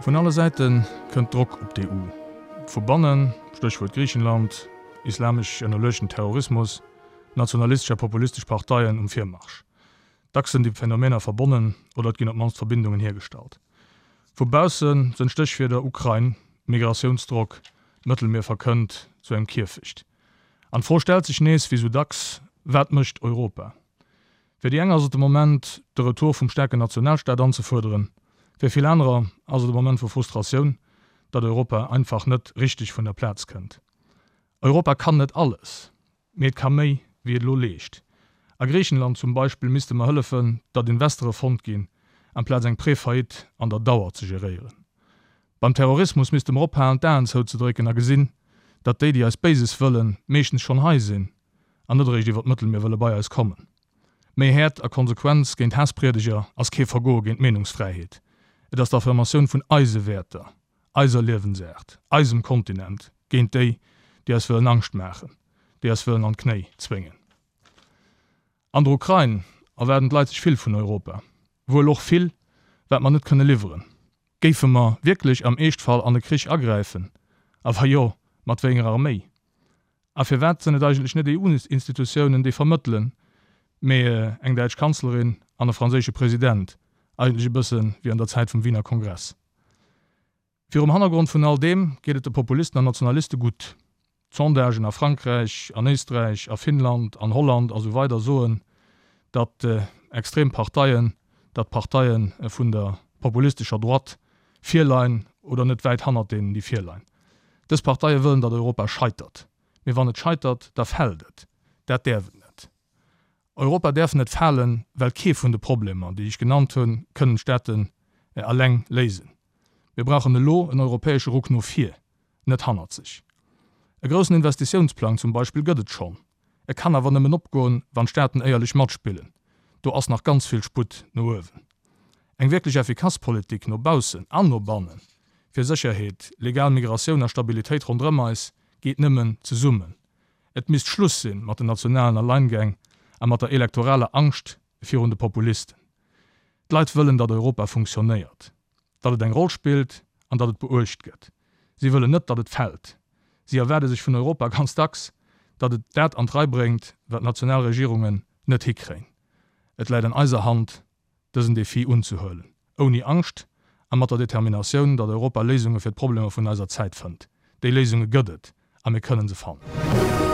Vun alle Säite kënnt Drock op d'EU. Vu bannen, Stéchwuert Griichenland, islamesch ënnerluechten Terrorismus, nationalistesch a populistesch Parteien um Virmarsch. Dacks sënn déi Phänomener verbonnen oder et ginn op d'mannst Verbindungen hiergestallt. Vu bausse sënn d'Stéchwierder Ukrain, Migratiounsdrock, d'Mëttelmier verkënnt zu engem Kierfecht. An d'Fro stellt sech nees, wéi sou dacks, Wat mécht Europa? Fir déi eng ass et de Moment, de Retour vum staarken Nationalstaat anzefuerderen. Fir vill anerer ass et e Moment vu Frustratioun, datt Europa einfach net richteg vun der Plaz kënnt. Europa kann net alles, mee et ka méi, wéi et elo leescht. A Griichenland zum Beispill misste mer hëllefen, datt Investere fonnt ginn, amplaz eng Pré-Faillite an der Dauer ze geréieren. Beim Terrorismus misste mer ophalen, d'Aen zouzedrécken a gesinn, datt déi, déi eis Béises wëllen, meeschtens schonn hei sinn an net eréischt iwwer d'Mëttelmier wëlle bei eis kommen. Méi Häert a Konsequenz géint Haasspriedeger ass kee Vergoe géint d'Meenungsfräiheet. Et ass d'Affirmatioun vun eise Wäerter, eiser Liewensaart, eisem Kontinent géint déi, déi eis wëllen Angscht maachen, déi eis wëllen an d'Knéi zwéngen. An der Ukrain erwaarden d'Leit sech vill vun Europa. Wuel och vill, wat mer net kënne liwweren. Géife mer wierklech am Eeschtfall an e Krich agräifen? A wa jo, mat wéi enger Arméi? A firwat sënn et eigentlech net EU-Institutiounen, déi vermëttelen, mee eng däitsch Kanzlerin an e franséische President, eigentlech e bësse wéi an der Zäit vum Wiener Kongress? Virum Hannergrond vun all deem geet et de Populisten an Nationaliste gutt. D'Sondagen a Frankräich, an Éisträich, a Finnland, an Holland a sou weider soen, datt extrem Parteien, datt d'Parteie vun der populistescher Droite virleien oder net wäit hannert deenen, déi virleien. Dës Parteie wëllen, datt Europa scheitert. Mee wann et scheitert, da fält et. Dat däerf et net. Europa däerf net falen, well kee vun de Problemer, déi ech genannt hunn, kënnen d'Staaten eleng léisen. Mir brauchen elo en europäesche Ruck no vir, net hannerzeg. E groussen Investitiounsplang zum Beispill gëtt et schonn. E kann awer nëmmen opgoen, wann d'Staaten éierlech matspillen. Do ass nach ganz vill Sputt no uewen. Eng wierklech effikass Politik no baussen an no bannen, fir Sécherheet, legal Migratioun a Stabilitéit ronderëm eis, geet nëmmen zesummen. Et misst Schluss sinn mat den nationalen Alleingäng a mat der elektoraler Angscht virun de Populisten. D'Leit wëllen, datt Europa funktionéiert, datt et eng Roll spillt an datt et beuecht gëtt. Si wëllen net, datt et fält. Si erwaarde sech vun Europa ganz dacks, datt et dat an d'Rei bréngt, wat national Regierungen net hikréien. Et läit an eiser Hand, dësen Defi unzehuelen, ouni Angscht a mat der Determinatioun, datt Europa Léisunge fir d'Problemer vun eiser Zäit fënnt. Déi Léisunge gëtt et a mir kënnen se fannen.